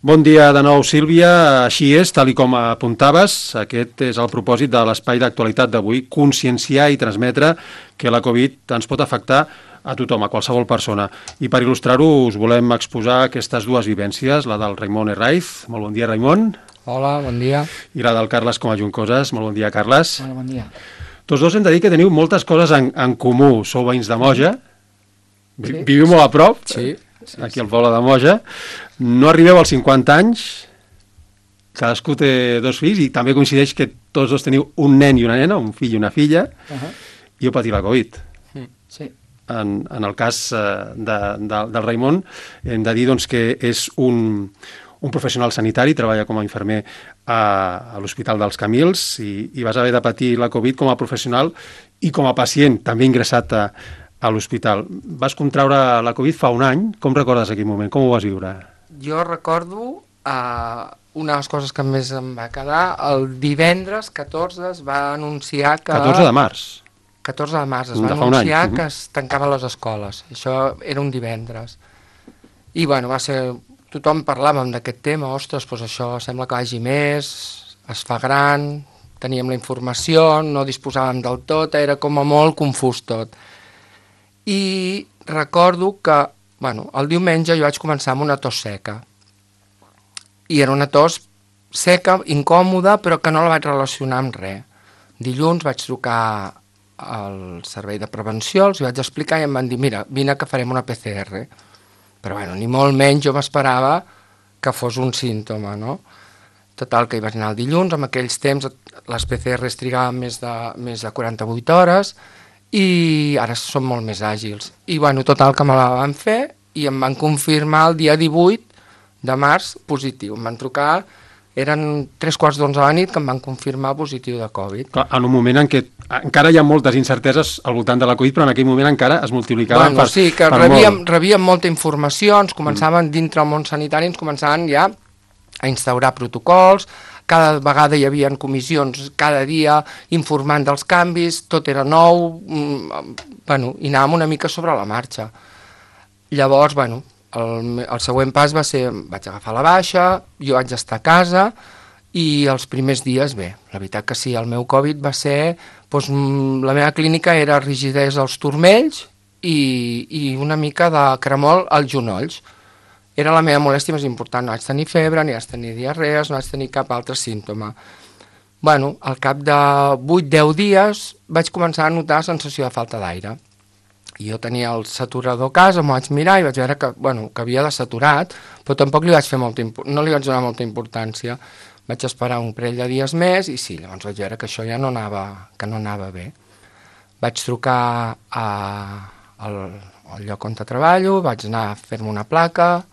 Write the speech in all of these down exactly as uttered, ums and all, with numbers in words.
Bon dia de nou, Sílvia. Així és, tal i com apuntaves, aquest és el propòsit de l'espai d'actualitat d'avui, conscienciar i transmetre que la Covid ens pot afectar a tothom, a qualsevol persona. I per il·lustrar-ho us volem exposar aquestes dues vivències, la del Raimon Herraiz. Molt bon dia, Raimon. Hola, bon dia. I la del Carles Coma Juncoses. Molt bon dia, Carles. Hola, bon dia. Tots dos hem de dir que teniu moltes coses en, en comú. Sou veïns de Moja, Sí. viviu molt a prop, Sí. Sí, aquí al poble de Moja. No arribeu als cinquanta anys, cadascú té dos fills i també coincideix que tots dos teniu un nen i una nena, un fill i una filla, Uh -huh. i heu patit la Covid. Sí. En, en el cas eh, de, de, del Raimon, hem de dir doncs, que és un, un professional sanitari, treballa com a infermer a, a l'Hospital dels Camils i, i vas haver de patir la Covid com a professional i com a pacient, també ingressat a, a l'hospital. Vas contraure la Covid fa un any. Com recordes aquell moment? Com ho vas viure? Jo recordo uh, una de les coses que més em va quedar, el divendres catorze es va anunciar que... catorze de març. catorze de març es va De fa un anunciar any. que es tancaven les escoles. Això era un divendres. I bueno, va ser... Tothom parlàvem d'aquest tema, ostres, doncs això sembla que vagi més, es fa gran, teníem la informació, no disposàvem del tot, era com a molt confús tot. I recordo que, bueno, el diumenge jo vaig començar amb una tos seca. I era una tos seca, incòmoda, però que no la vaig relacionar amb res. Dilluns vaig trucar al servei de prevenció, els vaig explicar i em van dir, mira, vine que farem una P C R. Però bueno, ni molt menys jo m'esperava que fos un símptoma, no? Total, que hi vaig anar el dilluns, en aquells temps les P C Rs trigaven més de, més de quaranta-vuit hores, i ara són molt més àgils. I bueno, total, que me la van fer i em van confirmar el dia divuit de març positiu. Em van trucar, eren tres quarts d'onze de la nit que em van confirmar positiu de Covid. Clar, en un moment en què encara hi ha moltes incerteses al voltant de la Covid, però en aquell moment encara es multiplicaven Bueno, per, sí, que per rebíem, molt. rebíem molta informació, ens començaven mm. dintre el món sanitari, ens començaven ja a instaurar protocols, cada vegada hi havia comissions cada dia informant dels canvis, tot era nou, mm, bueno, i anàvem una mica sobre la marxa. Llavors, bueno, el, el següent pas va ser, vaig agafar la baixa, jo vaig estar a casa i els primers dies, bé, la veritat que sí, el meu Covid va ser, doncs, la meva clínica era rigidesa als turmells i, i una mica de cremol als genolls. Era la meva molèstia més important, no vaig tenir febre, ni vaig tenir diarrees, no vaig tenir cap altre símptoma. Bueno, al cap de vuit a deu dies vaig començar a notar sensació de falta d'aire. I jo tenia el saturador a casa, m'ho vaig mirar i vaig veure que, bueno, que havia desaturat, però tampoc li vaig fer molta, no li vaig donar molta importància. Vaig esperar un parell de dies més i sí, llavors vaig veure que això ja no anava, que no anava bé. Vaig trucar a, al, al lloc on treballo, vaig anar a fer-me una placa,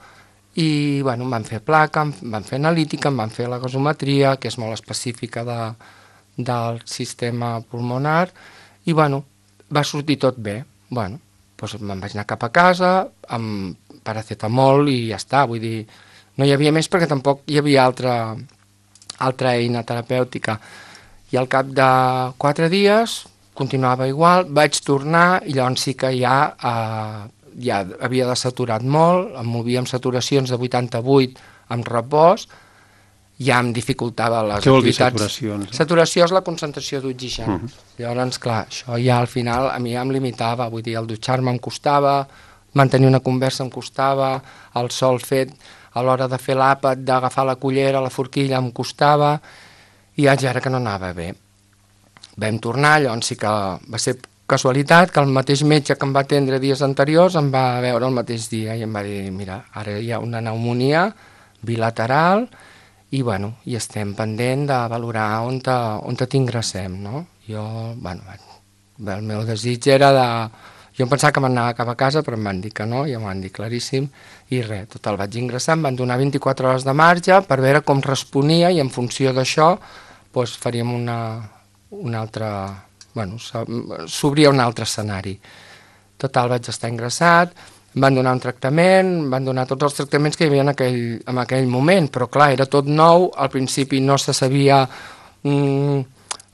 i bueno, em van fer placa, em van fer analítica, em van fer la gasometria, que és molt específica de, del sistema pulmonar, i bueno, va sortir tot bé. Bueno, doncs me'n vaig anar cap a casa, amb paracetamol i ja està, vull dir, no hi havia més perquè tampoc hi havia altra, altra eina terapèutica. I al cap de quatre dies continuava igual, vaig tornar i llavors sí que ja... Eh, ja havia desaturat molt, em movia amb saturacions de vuitanta-vuit amb repòs, ja em dificultava les Què vol dir activitats. saturacions? Saturació és la concentració d'oxigen. Uh -huh. Llavors, clar, això ja al final a mi ja em limitava, vull dir, el dutxar-me em costava, mantenir una conversa em costava, el sol fet a l'hora de fer l'àpat, d'agafar la cullera, la forquilla em costava, i vaig veure que no anava bé. Vam tornar, llavors sí que va ser casualitat que el mateix metge que em va atendre dies anteriors em va veure el mateix dia i em va dir, mira, ara hi ha una pneumonia bilateral i, bueno, i estem pendent de valorar on te, on te t'ingressem, no? Jo, bueno, el meu desig era de... Jo em pensava que m'anava cap a casa, però em van dir que no, ja m'ho van dir claríssim, i res, total, vaig ingressar, em van donar vint-i-quatre hores de marge per veure com responia i en funció d'això doncs faríem una, una altra... bueno, s'obria un altre escenari. Total, vaig estar ingressat, em van donar un tractament, em van donar tots els tractaments que hi havia en aquell, en aquell moment, però clar, era tot nou, al principi no se sabia, mmm,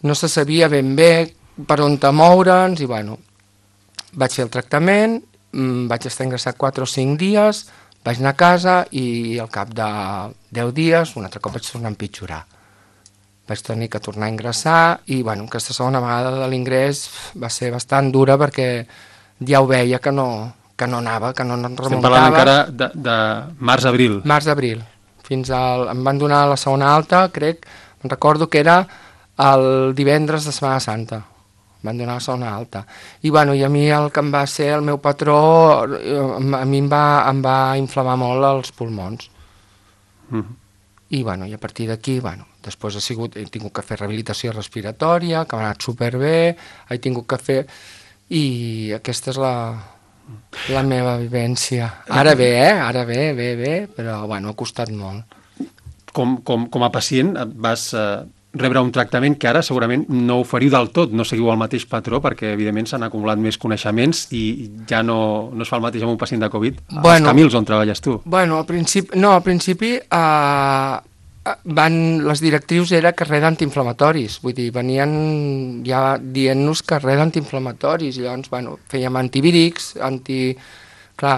no se sabia ben bé per on te moure'ns, i bueno, vaig fer el tractament, mmm, vaig estar ingressat quatre o cinc dies, Vaig anar a casa i al cap de deu dies un altre cop vaig tornar a empitjorar. Vaig tenir que tornar a ingressar i bueno, aquesta segona vegada de l'ingrés va ser bastant dura perquè ja ho veia que no, que no anava, que no remuntava. Estem parlant encara de, de març-abril. Març-abril. Fins al... Em van donar la segona alta, crec, em recordo que era el divendres de Setmana Santa. Em van donar la segona alta. I, bueno, i a mi el que em va ser el meu patró, a mi em va, em va inflamar molt els pulmons. Mm. I, bueno, i a partir d'aquí, bueno, després he, sigut, he tingut que fer rehabilitació respiratòria, que m'ha anat superbé, he tingut que fer... I aquesta és la, la meva vivència. Ara bé, eh? Ara bé, bé, bé, però, bueno, ha costat molt. Com, com, com a pacient vas... Eh... rebre un tractament que ara segurament no oferiu del tot, no seguiu el mateix patró perquè evidentment s'han acumulat més coneixements i ja no, no es fa el mateix amb un pacient de Covid bueno, als Camils on treballes tu. Bueno, al principi, no, al principi eh, van, les directrius era que res d'antiinflamatoris, vull dir, venien ja dient-nos que res d'antiinflamatoris, i llavors, bueno, fèiem antivírics, anti... clar,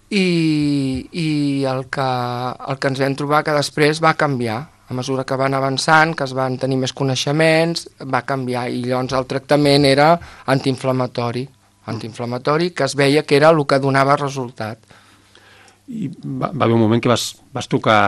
i, i el, que, el que ens vam trobar que després va canviar. A mesura que van avançant, que es van tenir més coneixements, va canviar i llavors el tractament era antiinflamatori, antiinflamatori que es veia que era el que donava resultat. I va, va haver un moment que vas, vas tocar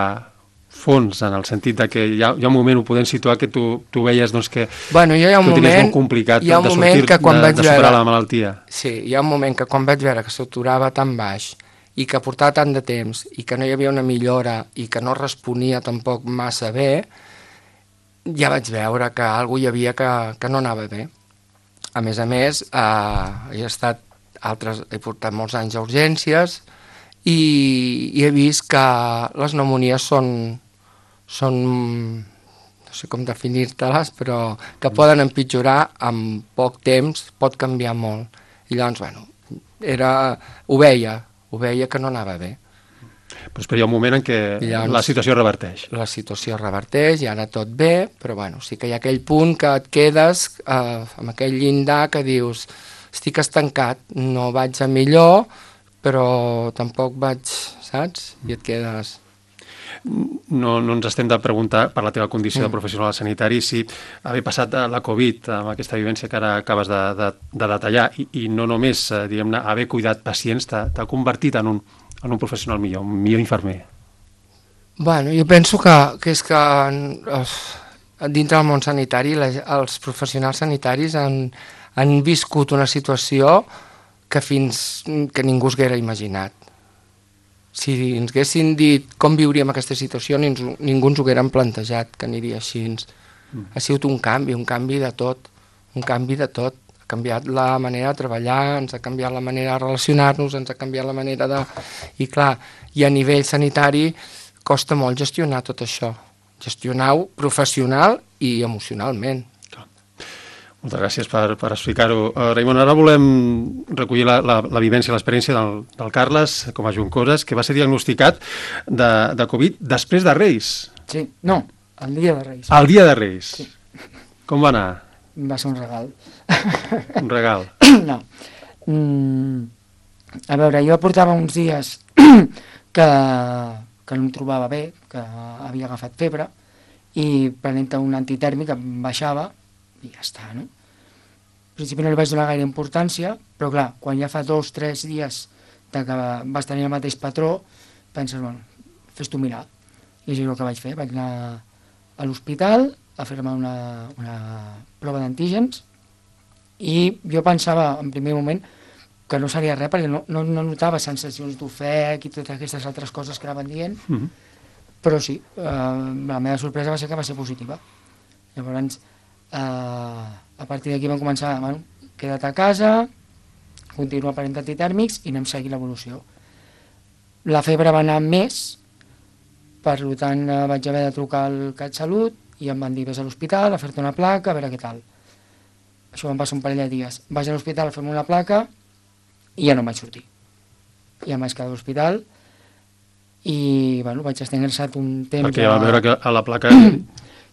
fons, en el sentit de que hi ha, hi ha un moment, ho podem situar, que tu, tu veies doncs, que, bueno, hi ha un que ho tenies moment, molt complicat hi ha un de moment sortir, que quan de, vaig de superar veure, la malaltia. Sí, hi ha un moment que quan vaig veure que s'aturava tan baix i que portava tant de temps i que no hi havia una millora i que no responia tampoc massa bé, ja vaig veure que alguna hi havia que, que no anava bé. A més a més, eh, he estat altres, he portat molts anys a urgències i, i he vist que les pneumonies són, són no sé com definir-te-les, però que poden empitjorar en poc temps, pot canviar molt. I llavors, bueno, era, ho veia, ho veia que no anava bé. Però hi ha un moment en què llavors, la situació reverteix. La situació reverteix i ara tot bé, però bueno, sí que hi ha aquell punt que et quedes eh, amb aquell llindar que dius estic estancat, no vaig a millor, però tampoc vaig, saps? I et quedes... No, no ens estem de preguntar per la teva condició mm. de professional sanitari si haver passat la Covid amb aquesta vivència que ara acabes de, de, de detallar i, i no només, diguem-ne, haver cuidat pacients t'ha convertit en un, en un professional millor, un millor infermer. Bueno, jo penso que, que és que eh, dintre del món sanitari la, els professionals sanitaris han, han viscut una situació que fins que ningú s'haguera imaginat. Si ens haguessin dit com viuríem aquesta situació, ningú, ningú ens ho haguérem plantejat, que aniria així. Mm. Ha sigut un canvi, un canvi de tot, un canvi de tot. Ha canviat la manera de treballar, ens ha canviat la manera de relacionar-nos, ens ha canviat la manera de... I clar, i a nivell sanitari costa molt gestionar tot això. Gestionar-ho professional i emocionalment. Moltes gràcies per, per explicar-ho. Uh, Raimon, ara volem recollir la, la, la vivència, l'experiència del, del Carles, com a Juncosa, que va ser diagnosticat de, de Covid després de Reis. Sí, no, el dia de Reis. El dia de Reis. Sí. Com va anar? Va ser un regal. Un regal? No. Mm, a veure, jo portava uns dies que, que no em trobava bé, que havia agafat febre, i prenent un antitèrmic em baixava, i ja està, no? Al principi no li vaig donar gaire importància, però clar, quan ja fa dos, tres dies de que vas tenir el mateix patró, penses, bueno, fes-t'ho mirar. I és el que vaig fer, vaig anar a l'hospital a fer-me una, una prova d'antígens i jo pensava en primer moment que no seria res perquè no, no, no notava sensacions d'ofec i totes aquestes altres coses que anaven dient, mm-hmm. però sí, eh, la meva sorpresa va ser que va ser positiva. Llavors, Uh, a partir d'aquí vam començar, bueno, queda't a casa, continua prenent antitèrmics i anem seguint l'evolució. La febre va anar més, per tant uh, vaig haver de trucar al CatSalut i em van dir vés a l'hospital a fer-te una placa, a veure què tal. Això em passa un parell de dies. Vaig a l'hospital a fer-me una placa i ja no em vaig sortir. Ja em vaig quedar a l'hospital i bueno, vaig estar ingressat un temps... Perquè ja vam veure que a la placa...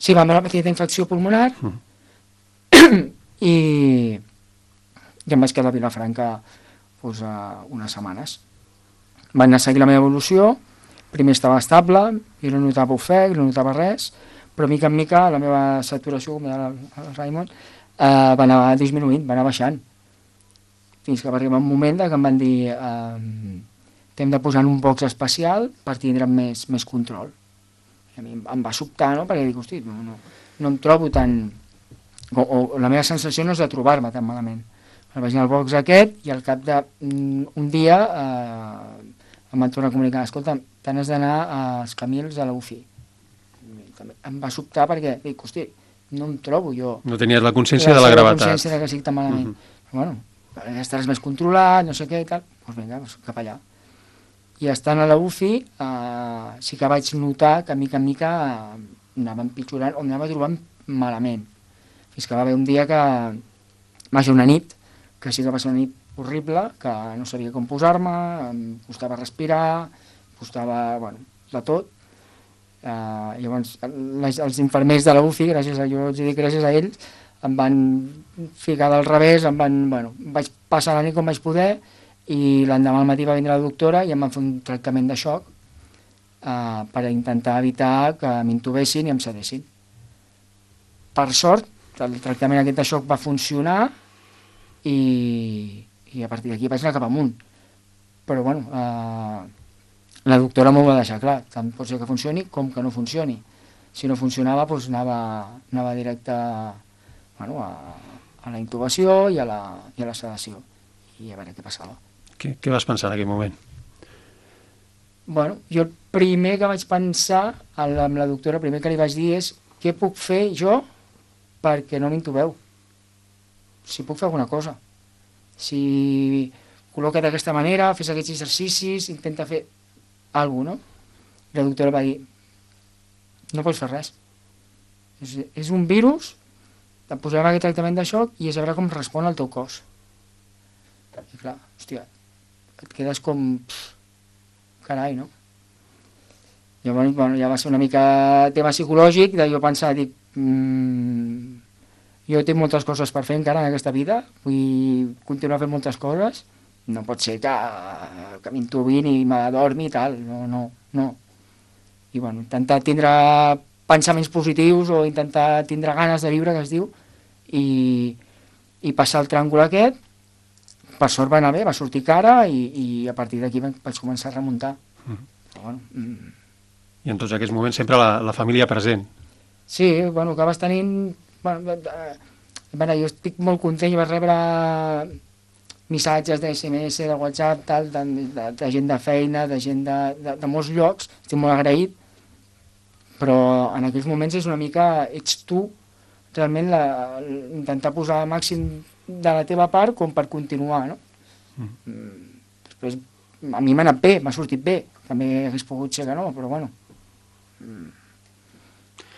Sí, vam veure una petita infecció pulmonar mm. i, i em vaig quedar a Vilafranca pues, uh, unes setmanes. van anar a seguir la meva evolució. Primer estava estable, i no notava ofec, no notava res, però mica en mica la meva saturació, com deia el, el Raimon, eh, va anar disminuint, va anar baixant. Fins que va arribar un moment que em van dir eh, t'hem de posar en un box especial per tindre més, més control. I a mi em va sobtar, no?, perquè dic, hosti, no, no, no em trobo tan... O, o la meva sensació no és de trobar-me tan malament. El vaig anar al box aquest i al cap d'un dia eh, em van tornar a comunicar, escolta, te n'has d'anar als Camils a la U F I. Em va sobtar perquè dic, hosti, no em trobo jo. No tenies la consciència de la gravetat. La consciència que estic tan malament. Uh -huh. Però, bueno, ja estaràs més controlat, no sé què i tal, doncs vinga, doncs cap allà. I estant a la U F I eh, sí que vaig notar que a mica en mica eh, anava empitjorant o anava trobant malament. Fins que va haver un dia que va ser una nit, que sí que va ser una nit horrible, que no sabia com posar-me, em costava respirar, em costava, bueno, de tot. Uh, llavors, les, els infermers de la U F I, gràcies a, jo els dic gràcies a ells, em van ficar del revés, em van, bueno, vaig passar la nit com vaig poder, i l'endemà al matí va vindre la doctora i em van fer un tractament de xoc uh, per intentar evitar que m'intubessin i em sedessin. Per sort, el tractament aquest de xoc va funcionar i, i a partir d'aquí vaig anar cap amunt. Però, bueno, uh, la doctora m'ho va deixar clar, tant pot ser que funcioni com que no funcioni. Si no funcionava, doncs anava, anava directe bueno, a, a la intubació i a la, i a la sedació, i a veure què passava. Què, què vas pensar en aquell moment? Bueno, jo el primer que vaig pensar amb la doctora, el primer que li vaig dir és què puc fer jo perquè no m'intubeu? Si puc fer alguna cosa. Si col·loca't d'aquesta manera, fes aquests exercicis, intenta fer alguna cosa, no? I la doctora va dir no pots fer res. És, és un virus, et posarem aquest tractament de xoc i és a veure com respon el teu cos. I clar, hòstia, et quedes com... Pff, carai, no? Llavors, bueno, ja va ser una mica tema psicològic, de jo pensar, dic, mmm, jo tinc moltes coses per fer encara en aquesta vida, vull continuar fent moltes coses, no pot ser que, que m'intubin i m'adormi i tal, no, no, no. I bueno, intentar tindre pensaments positius o intentar tindre ganes de viure, que es diu, i, i passar el tràngol aquest. Per sort va anar bé, va sortir cara i, i a partir d'aquí vaig començar a remuntar. Mm. Però, bueno, mm. I en tots aquests moments sempre la, la família present. Sí, bueno, acabes tenint... Bueno, eh, bueno, jo estic molt content, jo vaig rebre missatges de esse eme esse, de WhatsApp, tal, de, de, de gent de feina, de gent de, de, de molts llocs, estic molt agraït, però en aquells moments és una mica, ets tu, realment la, intentar posar el màxim de la teva part com per continuar, no? Mm. Després, a mi m'ha anat bé, m'ha sortit bé, també hagués pogut ser que no, però bueno. Mm.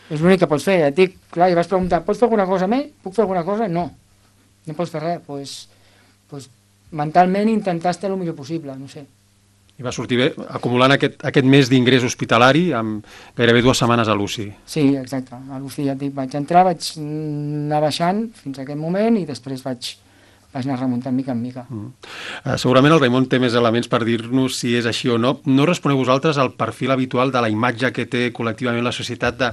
És l'únic que pots fer, et dic, clar, i vas preguntar, pots fer alguna cosa més? Puc fer alguna cosa? No, no pots fer res, doncs, pues, pues, mentalment intentar estar el millor possible, no sé. I va sortir bé, acumulant aquest, aquest mes d'ingrés hospitalari amb gairebé dues setmanes a l'U C I. Sí, exacte. A l'U C I ja et dic, vaig entrar, vaig anar baixant fins a aquest moment i després vaig, vaig anar remuntant mica en mica. Mm. Uh, segurament el Raimon té més elements per dir-nos si és així o no. No responeu vosaltres al perfil habitual de la imatge que té col·lectivament la societat de,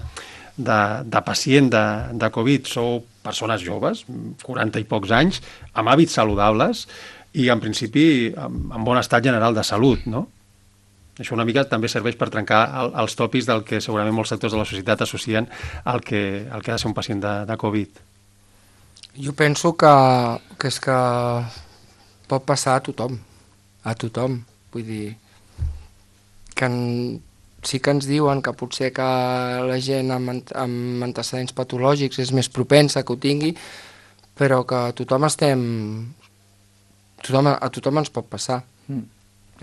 de, de pacient de, de Covid. Sou persones joves, quaranta i pocs anys, amb hàbits saludables, i en principi en bon estat general de salut, no? Això una mica també serveix per trencar el, els tòpics del que segurament molts sectors de la societat associen al que, al que ha de ser un pacient de, de Covid. Jo penso que, que és que pot passar a tothom, a tothom. Vull dir, que en, sí que ens diuen que potser que la gent amb, amb antecedents patològics és més propensa que ho tingui, però que tothom estem... Tothom, a tothom ens pot passar. Mm.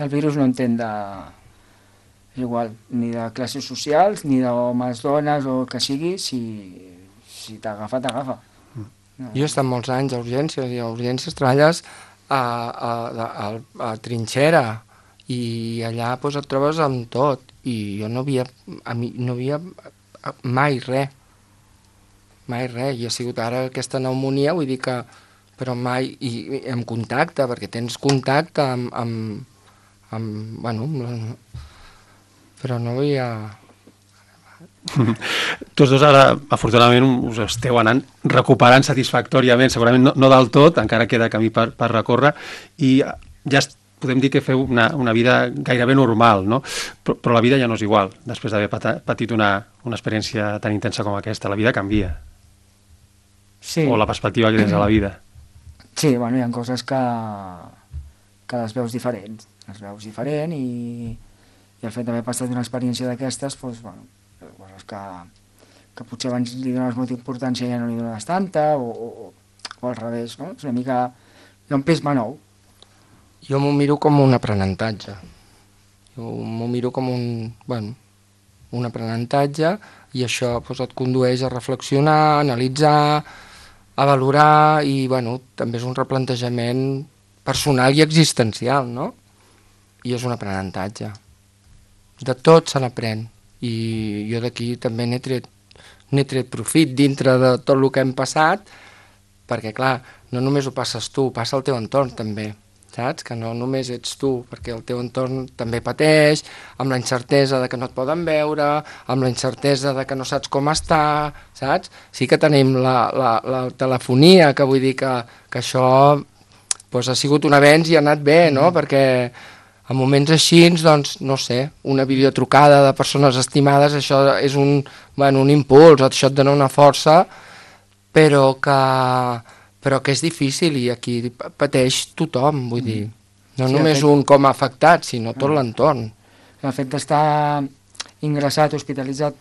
El virus no entén de... igual, ni de classes socials, ni d'homes, dones, o que sigui, si, si t'agafa, t'agafa. Mm. No. Jo he estat molts anys a urgències, i a urgències treballes a, a, a, a, a trinxera, i allà pues, et trobes amb tot, i jo no havia, a mi, no havia mai res, mai res, i ha sigut ara aquesta pneumonia, vull dir que però mai, i, i en contacte, perquè tens contacte amb, amb, amb, bueno, però no havia... Tots dos ara, afortunadament, us esteu anant recuperant satisfactòriament, segurament no, no del tot, encara queda camí per, per recórrer, i ja podem dir que feu una, una vida gairebé normal, no? Però, però la vida ja no és igual, després d'haver patit una, una experiència tan intensa com aquesta. La vida canvia. Sí. O la perspectiva que tens a la vida. Sí, bueno, hi ha coses que, que les veus diferents, les veus diferent i, i el fet d'haver passat una experiència d'aquestes, doncs, bueno, coses que, que potser abans li dones molta importància i ja no li dones tanta, o, o, o al revés, no? És una mica... Hi ha un pes nou. Jo m'ho miro com un aprenentatge. Jo m'ho miro com un, bueno, un aprenentatge, i això doncs, et condueix a reflexionar, a analitzar, a valorar, i bueno, també és un replantejament personal i existencial, no? I és un aprenentatge. De tot se n'aprèn, i jo d'aquí també n'he tret, n'he tret profit dintre de tot el que hem passat, perquè clar, no només ho passes tu, passa el teu entorn també, saps? Que no només ets tu, perquè el teu entorn també pateix, amb la incertesa de que no et poden veure, amb la incertesa de que no saps com està, saps? Sí que tenim la, la, la telefonia, que vull dir que, que això doncs, ha sigut un avenç i ha anat bé, no? Mm. Perquè en moments així, doncs, no sé, una videotrucada de persones estimades, això és un, bueno, un impuls, això et dona una força, però que, però que és difícil, i aquí pateix tothom, vull dir. No sí, només fet... un com a afectat, sinó tot l'entorn. El fet d'estar ingressat, hospitalitzat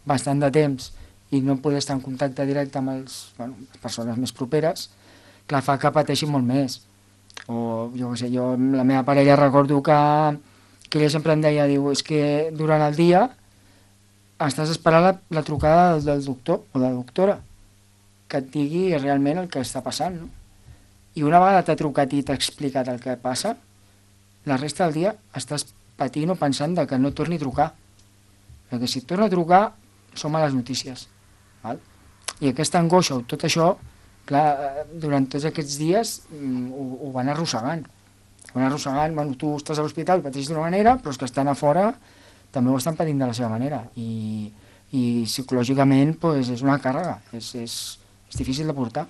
bastant de temps i no poder estar en contacte directe amb els, bueno, les persones més properes, clar, fa que pateixi molt més. O jo què sé, jo amb la meva parella recordo que, que ella sempre em deia, diu, és que durant el dia estàs esperant la, la trucada del, del doctor o de la doctora que et digui realment el que està passant, no? I una vegada t'ha trucat i t'ha explicat el que passa, la resta del dia estàs patint o pensant de que no torni a trucar, perquè si et torna a trucar som a les notícies, val? I aquesta angoixa o tot això, clar, durant tots aquests dies ho, ho van arrossegant. Ho van arrossegant, bueno, tu estàs a l'hospital, pateixes d'una manera, però els que estan a fora també ho estan patint de la seva manera. I, i psicològicament pues, és una càrrega, és, és, és difícil de portar.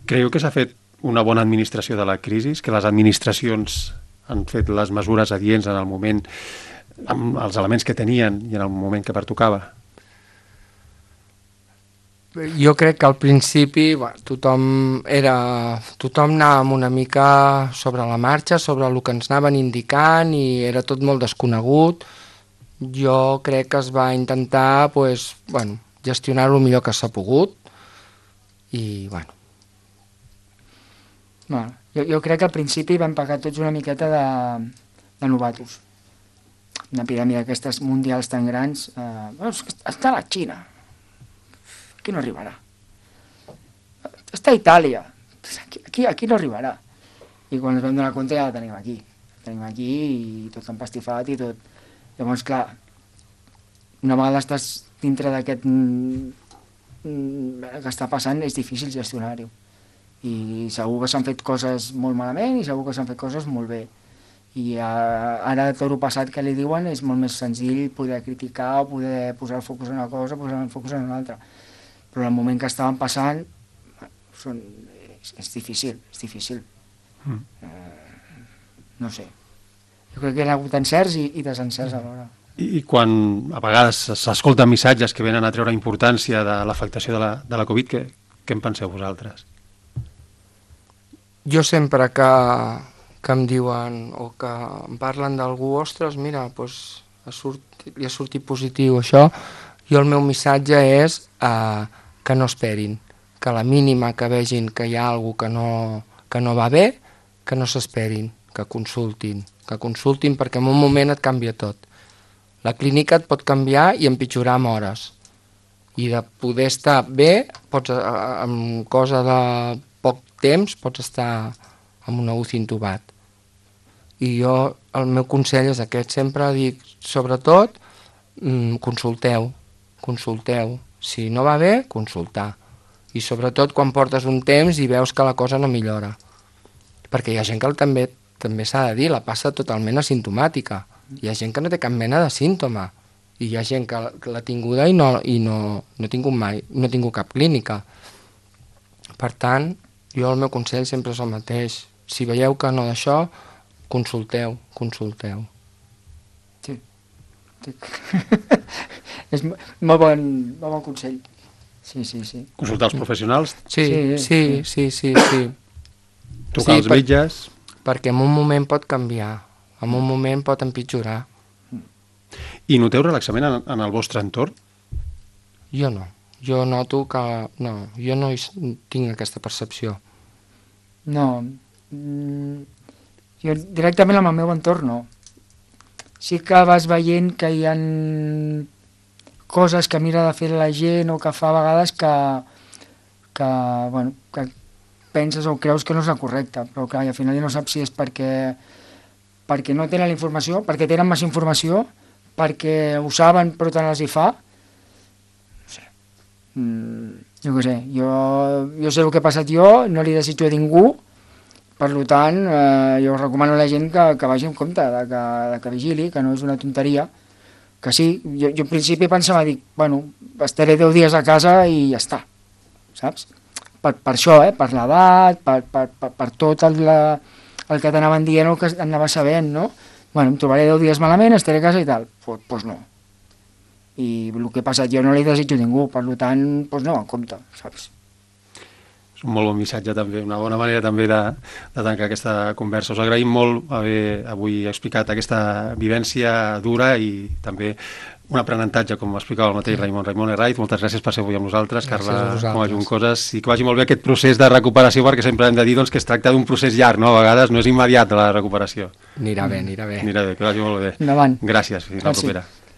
Creieu que s'ha fet una bona administració de la crisi, que les administracions han fet les mesures adients en el moment, amb els elements que tenien i en el moment que pertocava? Jo crec que al principi bueno, tothom, era, tothom anàvem una mica sobre la marxa, sobre el que ens anaven indicant, i era tot molt desconegut. Jo crec que es va intentar pues, bueno, gestionar-ho el millor que s'ha pogut, i bueno. bueno jo, jo crec que al principi vam pagar tots una miqueta de, de novatos. Una epidèmia d'aquestes mundials tan grans, eh, bueno, està a la Xina, aquí no arribarà. Està a Itàlia, aquí, aquí, aquí no arribarà. I quan ens vam donar compte ja la tenim aquí. La tenim aquí i tot empastifat i tot. Llavors, clar, una vegada estàs dintre d'aquest que està passant, és difícil gestionar-ho. I segur que s'han fet coses molt malament i segur que s'han fet coses molt bé. I ara tot el passat que li diuen és molt més senzill poder criticar o poder posar el focus en una cosa, posar el focus en una altra. Però el moment que estaven passant són, és, és difícil, és difícil. Mm. Eh, no sé. Jo crec que hi ha hagut encerts i, i desencerts alhora. I, I quan a vegades s'escolten missatges que venen a treure importància de l'afectació de la, de la Covid, què, què en penseu vosaltres? Jo sempre que, que em diuen o que em parlen d'algú, ostres, mira, doncs, ha sortit, li ha sortit positiu això, jo el meu missatge és eh, que no esperin, que a la mínima que vegin que hi ha alguna que no, que no va bé, que no s'esperin, que consultin, que consultin perquè en un moment et canvia tot. La clínica et pot canviar i empitjorar amb hores, i de poder estar bé, pots, amb cosa de poc temps, pots estar amb una U C I intubat. I jo, el meu consell és aquest, sempre dic, sobretot, consulteu, consulteu. Si no va bé, consultar. I sobretot quan portes un temps i veus que la cosa no millora. Perquè hi ha gent que també també s'ha de dir, la passa totalment asimptomàtica. Hi ha gent que no té cap mena de símptoma, i hi ha gent que, que l'ha tinguda i, no, i no, no, ha tingut mai, no ha tingut cap clínica. Per tant, jo el meu consell sempre és el mateix. Si veieu que no d'això, consulteu, consulteu. Sí. sí. És molt bon, molt bon consell. Sí, sí, sí. Consultar els professionals? Sí, sí, sí, sí, sí. sí. Trucar als per, metges? Perquè en un moment pot canviar, en un moment pot empitjorar. I noteu relaxament en, en el vostre entorn? Jo no. Jo noto que... No, jo no tinc aquesta percepció. No. Jo directament amb el meu entorn no. Sí que vas veient que hi ha coses que mira de fer la gent o que fa a vegades que, que, bueno, que penses o creus que no és la correcta, però clar, al final ja no saps si és perquè, perquè no tenen la informació, perquè tenen massa informació, perquè ho saben però tant els hi fa. No sé. Mm, jo què sé, jo, jo sé el que he passat jo, no li desitjo a ningú, per tant, eh, jo recomano a la gent que, que vagi en compte, de que, de que vigili, que no és una tonteria, que sí, jo, jo al principi pensava, dic, bueno, estaré deu dies a casa i ja està, saps? Per, per això, eh? Per l'edat, per, per, per, per tot el, la, el que t'anaven dient o que anava sabent, no? Bueno, em trobaré deu dies malament, estaré a casa i tal. Doncs pues, pues no. I el que ha passat jo no li desitjo a ningú, per tant, pues no, en compte, saps? És un molt bon missatge també, una bona manera també de, de tancar aquesta conversa. Us agraïm molt haver avui explicat aquesta vivència dura i també un aprenentatge, com explicava el mateix Raimon. Raimon Herraiz, moltes gràcies per ser avui amb nosaltres, Carla com a Juncoses, i que vagi molt bé aquest procés de recuperació, perquè sempre hem de dir doncs, que es tracta d'un procés llarg, no? A vegades no és immediat la recuperació. Anirà bé, anirà bé. Anirà bé, que vagi molt bé. Endavant. Gràcies, fins la Gràcies. propera.